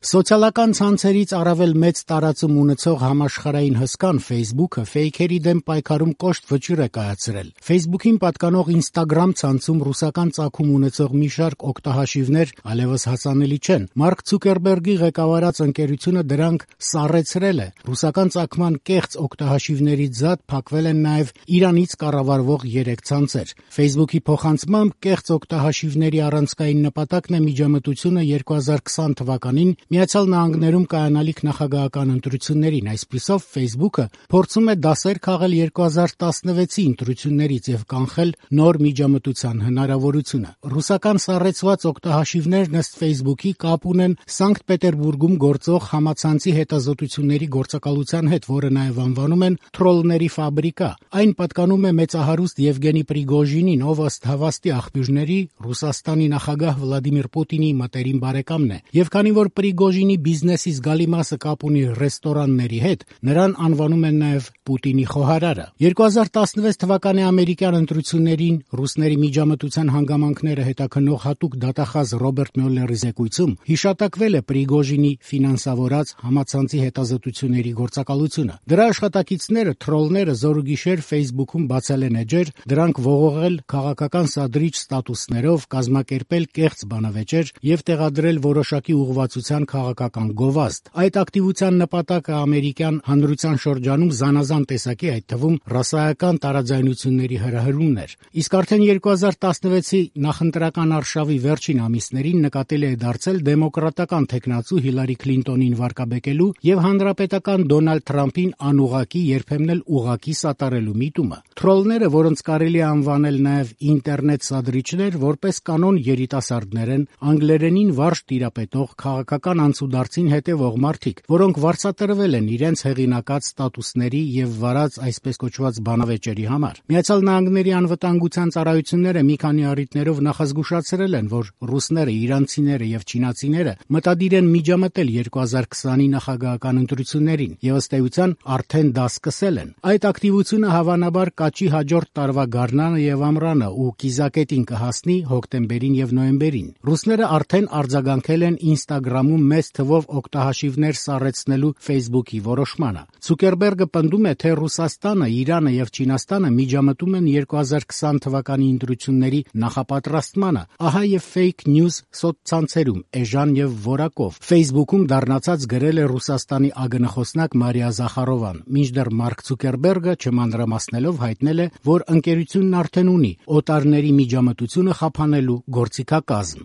Սոցիալական ցանցերից առավել մեծ տարածում ունեցող համաշխարհային հսկան Facebook-ը ֆեյքերի դեմ պայքարում կոշտ վճիռ է կայացրել։ Facebook-ին պատկանող Instagram ցանցում ռուսական ծագում ունեցող մի շարք օգտահաշիվներ այլևս հասանելի չեն։ Մարկ Ցուկերբերգի ղեկավարած ընկերությունը դրանք սառեցրել է։ Ռուսական ծագման կեղծ օգտահաշիվներից զատ փակվել են նաև Իրանից կառավարվող 3 ցանցեր։ Facebook-ի փոխանցմամբ կեղծ օգտահաշիվների առանցքային նպատակն է միջամտությունը 2020 թվականին Միացյալ Նահանգներում կայանալիք նախագահական ընտրություններին, այսպիսով Facebook-ը փորձում է դասեր քաղել 2016-ի ընտրություններից եւ կանխել նոր միջամտության հնարավորությունը։ Ռուսական սառեցված օգտահաշիվներն ըստ Facebook-ի կապ ունեն Սանկտ Պետերբուրգում գործող համացանցի հետազոտությունների գործակալության հետ, որը նաեւ անվանում են «Թրոլների ֆաբրիկա»։ Այն պատկանում է մեծահարուստ Եվգենի Պրիգոժինին, ով ըստ հավաստի աղբյուրների Ռուսաստանի նախագահ Վլադիմիր Պուտինի մտերիմ բարեկամն է։ Եվ քանի որ Պրիգոժինի բիզնեսի զգալի մասը կապ ունի ռեստորանների հետ, նրան անվանում են նաև Պուտինի խոհարարը։ 2016 թվականի ամերիկյան ընտրություններին ռուսների միջամտության հանգամանքները հետաքննող հատուկ դատախազ Ռոբերտ Մյուլլերի զեկույցում հիշատակվել է Պրիգոժինի ֆինանսավորած համացանցի հետազոտությունների գործակալությունը։ Դրա աշխատակիցները, թրոլները զորուգիշեր Facebook-ում բացել են էջեր, դրանք ողողել քաղաքական սադրիչ ստատուսներով, կազմակերպել կեղծ բանավեճեր եւ տեղադրել որոշակի ուղղվածության քաղաքական գովազդ։ Այդ ակտիվության նպատակը ամերիկյան հանրության շրջանում զանազան տեսակի, այդ թվում ռասայական տարաձայնությունների հրահրումն էր։ Իսկ արդեն 2016-ի նախընտրական արշավի վերջին ամիսներին նկատելի է դարձել դեմոկրատական թեկնածու Հիլարի Քլինտոնին վարկաբեկելու եւ հանրապետական Դոնալդ Թրամփին անուղղակի, երբեմն էլ ուղղակի սատարելու միտումը։ Թրոլները, որոնց կարելի է անվանել նաեւ ինտերնետ սադրիչներ, որպես կանոն երիտասարդներ են, անգլերենին վարժ տիրապետող քաղաքական անցուդարձին հետևող մարդիկ, որոնք վարձատրվել են իրենց հեղինակած ստատուսների եւ վարած այսպես կոչված բանավեճերի համար։ Միացյալ Նահանգների անվտանգության ծառայությունները մի քանի առիթներով նախազգուշացրել են, որ ռուսները, իրանցիները եւ չինացիները մտադիր են միջամտել 2020-ի նախագահական ընտրություններին եւ ըստ էության արդեն դա սկսել են։ Այդ ակտիվությունը հավանաբար կաճի հաջորդ տարվա գարնանը եւ ամռանը ու կիզակետին կհասնի հոկտեմբերին եւ նոյեմբերին։ Ռուսները արդեն արձագանքել են Instagram-ում մեծ թվով օգտահաշիվներ սառեցնելու Facebook-ի որոշմանը։ Ցուկերբերգը պնդում է, թե Ռուսաստանը, Իրանը եւ Չինաստանը միջամտում են 2020 թվականի ընտրությունների նախապատրաստմանը, ահա եւ fake news սոցցանցերում էժան եւ որակով։ Facebook-ում դառնացած գրել է Ռուսաստանի ԱԳՆ-խոսնակ Մարիա Զախարովան, մինչդեռ Մարկ Ցուկերբերգը չմանրամասնելով հայտնել է, որ ընկերությունն արդեն ունի օտարների միջամտությունը խափանելու գործիքակազմ։